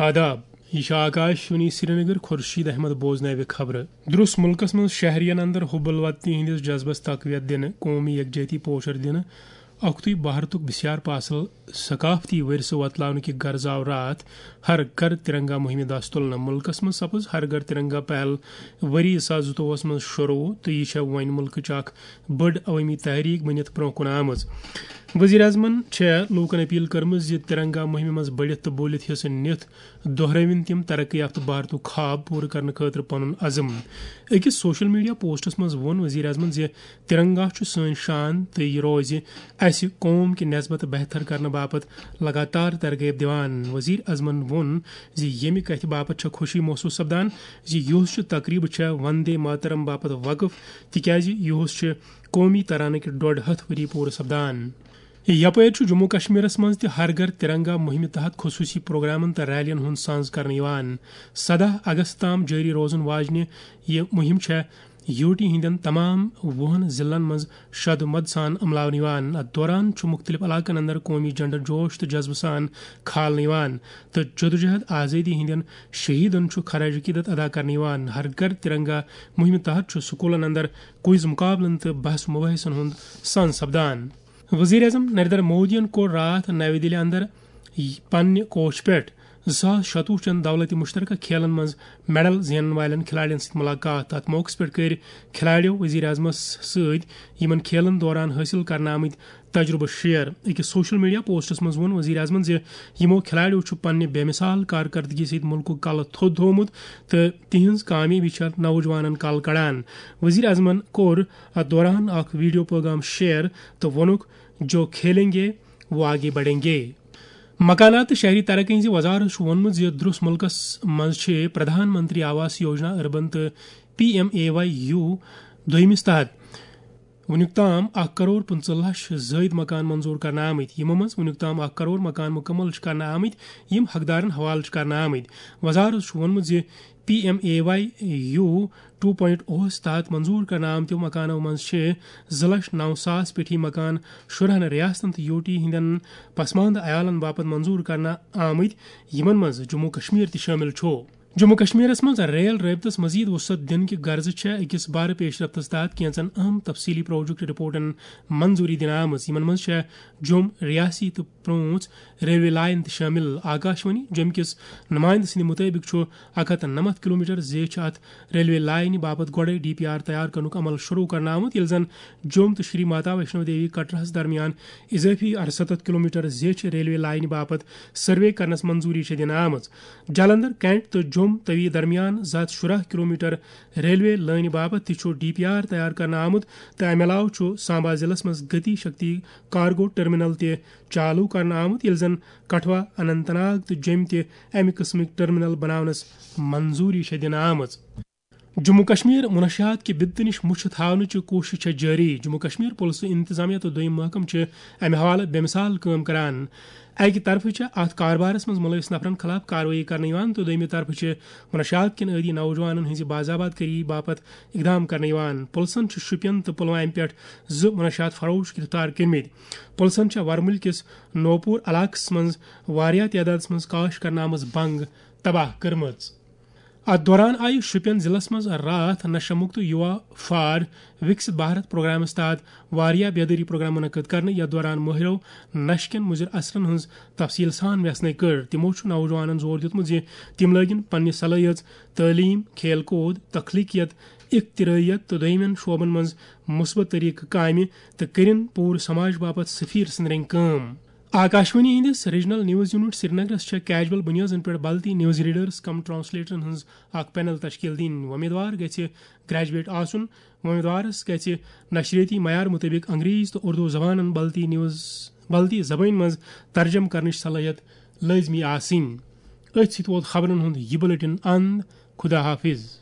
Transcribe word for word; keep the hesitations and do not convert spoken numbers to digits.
آداب، یہِ چھُ آکاش وانی سرینگر، خورشید احمد بوزناوِ خبرٕ۔ درٛس مُلکس منٛز شہرین اندر حب الوطنی ہٕنٛدِس جذبس تقویت دِنہٕ، قومی یکجہتی پوچھر دِنہٕ، اکھتُے بھارتُک بسیار پاسل ثقافتی ورثہٕ وۄتلاونہٕ کہِ غرضہٕ آو راتھ ہر گھر ترنگا مُہِمہِ دَس تُلنہٕ۔ مُلکَس منٛز سپٕز ہر گھر ترنگا پہل ؤری زٕ ساس زٕتووُہَس منٛز شروٗع تہٕ یہِ چھےٚ وۄنۍ مُلکٕچ اکھ بٔڑ عوٲمی تحریٖک بٔنِتھ برٛونٛہہ کُن آمٕژ۔ ؤزیٖر اعظمَن چھےٚ لوٗکَن اپیل کٔرمٕژ زِ ترنگا مُہِمہِ منٛز بٔڑِتھ تہٕ بوٗلِتھ حصہٕ نِتھ دۄہرٲوِن تِم ترقی یافتہٕ بھارتُک خواب پوٗرٕ کرنہٕ خٲطرٕ پنُن عزم۔ أکِس سوشل میڈیا پوسٹَس منٛز ووٚن ؤزیٖر اعظمَن زِ ترنگا چھُ سٲنۍ شان تہٕ یہِ روزِ اسہِ قوم کہِ نسبت بہتر کرنہٕ باپتھ لگاتار ترغیب دِوان۔ ؤزیٖر اعظمَن ووٚن زِ ییٚمہِ کتھِ باپتھ چھےٚ خوشی محسوٗس سپدان زِ یُہُس چھُ تقریٖب چھےٚ وندے ماترم باپتھ وقف، تِکیازِ یُہُس چھُ قومی ترانہٕ کہِ ڈۄڈ ہتھ ؤری پوٗرٕ سپدان۔ یپٲرۍ چھُ جموں کشمیرس منٛز تہِ ہر گھر ترنگا مُہِمہِ تحت خصوٗصی پروگرامن تہٕ ریلین ہُنٛد سانز کرنہٕ یِوان۔ سداہ اگست تام جٲری روزن واجنہِ یہِ مُہِم چھےٚ یوٗ ٹی ہٕنٛدٮ۪ن تمام وُہن ضلعن منٛز شد و مد سان عملاونہٕ یِوان۔ اتھ دوران چھُ مُختٔلِف علاقن اندر قومی جھنڈٕ جوش تہٕ جذبہٕ سان کھالنہٕ یِوان تہٕ جدوجہد آزٲدی ہٕنٛدٮ۪ن شہیدن چھُ خراج عقیدت ادا کرنہٕ یِوان۔ ہر گھر ترنگا مُہِمہِ تحت چھُ سکوٗلن اندر کوئز مُقابلن تہٕ بحث مباحثن ہُنٛد سانز سپدان۔ وزیر اعظم نریندر مودیَن کوٚر راتھ نَوِ دِلہِ اندر پننہِ کوٹھۍ پٮ۪ٹھ زٕ ساس شتوُہ چٮ۪ن دولت مشترکہ کھیلن منٛز میڈل زینن والٮ۪ن کھلاڑٮ۪ن سۭتۍ ملاقات۔ تتھ موقعس پٮ۪ٹھ کٔرۍ کھلاڑیو وزیر اعظمس سۭتۍ یِمن کھیلن دوران حٲصِل کرنہٕ آمٕتۍ تجربہٕ شیئر۔ أکِس سوشل میڈیا پوسٹس منٛز ووٚن وزیر اعظمن زِ یِمو کھلاڑیو چھُ پننہِ بے مثال کارکردگی سۭتۍ مُلکُک کلہٕ تھوٚد تھوومُت تہٕ تِہنٛز کامیٲبی چھےٚ نوجوانن کل کڑان۔ وزیر اعظمن کوٚر اتھ دوران اکھ ویڈیو پیغام شیئر تہٕ ووٚنُکھ، "جو کھیلیں گے، وہ آگے بڑھیں گے۔" مکانات تہٕ شہری ترقی ہٕنٛزِ وزارت چھُ ووٚنمُت زِ درٛس مُلکَس منٛز چھِ پردھان منتری آواس یوجنا اربن تہٕ P M A Y U دوٚیمِس تحت وُنیُک تام اکھ کرور پٕنٛژٕہ لچھ زٲیِد مکان منظور کرنہٕ آمٕتۍ، یِمو منٛز وُنیُک تام اکھ کرور مکان مُکمل چھِ کرنہٕ آمٕتۍ، یِم حقدارن حوالہٕ چھِ کرنہٕ آمٕتۍ۔ وزارت چھُ ووٚنمُت زِ P M A Y U two point اوس تحت منظور کرنہٕ آمتیو مکانو منٛز چھِ زٕ لچھ نو ساس پیٹھی مکان شُرہن ریاستن تہٕ یو ٹی ہٕنٛدٮ۪ن پسماندٕ عیالن باپتھ منظور کرنہٕ آمٕتۍ، یِمن منٛز جموں کشمیر تہِ شٲمِل چھُ۔ جموں کشمیرس منٛز ریل رٲبطس مزید وسعت دِنہٕ کہِ غرضہٕ چھےٚ أکِس بارٕ پیش رفتس تحت کینٛژن اہم تفصیلی پروجیکٹ رپورٹن منظوری دِنہٕ آمٕژ۔ یِمن منٛز چھےٚ جوٚم ریاسی تہٕ پرٛونٛژھ ریلوے لائن تہِ شٲمِل۔ آکاشوانی جوٚم کِس نُمایندٕ سٕنٛدِ مُطٲبِق چھُ اکھ ہتھ نَمَتھ کلومیٹر زیچھِ اتھ ریلوے لائنہِ باپتھ گۄڈَے ڈی پی آر تیار کرنُک عمل شروع کرنہٕ آمُت، ییٚلہِ زن جوٚم تہٕ شری ماتا ویشنو دیوی کٹرہس درمیان اضٲفی ارستتھ کلومیٹر زیچھِ ریلوے لائنہِ باپتھ سروے کرنس منظوری چھےٚ دِنہٕ آمٕژ۔ جالندھر کینٹ تہٕ جوٚم توی درمیان زٕ ہتھ شُراہ کلومیٹر ریلوے لٲنہِ باپتھ تہِ چھُ ڈی پی آر تیار کرنہٕ آمُت تہٕ امہِ علاوٕ چھُ سامبا ضلعس منٛز گتی شکتی کارگو ٹرمینل تہِ چالو کرنہٕ آمُت، ییٚلہِ زن کٹھوا، اننت ناگ تہٕ جوٚمۍ تہِ امہِ قٕسمٕکۍ ٹرمینل بناونس منظوری چھےٚ دِنہٕ آمٕژ۔ جموں کشمیر منشیات کہِ بدتہٕ نِش مُچھِ تھاونٕچہِ کوٗشش چھےٚ جٲری۔ جموں کشمیر پُلسہٕ انتظامیہ تہٕ دوٚیِم محکمہٕ چھِ امہِ حوالہٕ بے مثال کٲم کران۔ اکہِ طرفہٕ چھےٚ اتھ کاربارس منٛز مُلوث نفرن خلاف کاروٲیی کرنہٕ یِوان تہٕ دوٚیمہِ طرفہٕ چھِ منشیات کٮ۪ن عٲدی نوجوانن ہٕنٛزِ باضابط کٲری باپتھ اقدام کرنہٕ یِوان۔ پُلسن چھِ شوپین تہٕ پلوامہِ پٮ۪ٹھ زٕ منشیات فروش گرفتار کٔرمٕتۍ۔ پُلسن چھےٚ ورمُلۍ کِس نوپور علاقس منٛز واریاہ تعدادس منٛز کاش کرنہٕ آمٕژ بنگ تباہ کٔرمٕژ۔ اتھ دوران آیہِ شوپین ضلعس منٛز راتھ نشہ مکت یوا فار وکست بھارت پروگرامس تحت واریاہ بیدٲری پروگرام منعقد کرنہٕ، یتھ دوران مٲہرو نشہٕ کٮ۪ن مضر اثرن ہٕنٛز تفصیل سان ویژھنٲوۍ کٔر۔ تِمو چھُ نوجوانن زور دیُتمُت زِ تِم لٲگِن پننہِ صلٲحیژ، تعلیٖم، کھیل کوٗد، تخلیقیت، اختراعیت تہٕ دوٚیمٮ۪ن شعبن منٛز مثبت طریقہٕ کامہِ تہٕ کٔرِن پوٗرٕ سماج باپتھ سفیر سٕنٛدۍ رٔنگۍ کٲم۔ آکاشوانی ہٕنٛدِس ریجنل نیوز یونٹ سرینگرس چھےٚ کیجول بنیٲدن پٮ۪ٹھ بلتی نیوز ریڈرز کم ٹرانسلیٹرن ہٕنٛز اکھ پینل تشکیل دِنۍ۔ وۄمیدوار گژھِ گریجویٹ آسُن۔ وۄمیدوارس گژھِ نشریٲتی معیار مطٲبق انگریزی تہٕ اردو زبانن بلتی نیوز، بلتی زبٲنۍ منٛز ترجمہٕ کرنٕچ صلٲحیت لٲزمی آسٕنۍ۔ أتھۍ سۭتۍ ووت خبرن ہُنٛد یہِ بلیٹن اند۔ خدا حافظ۔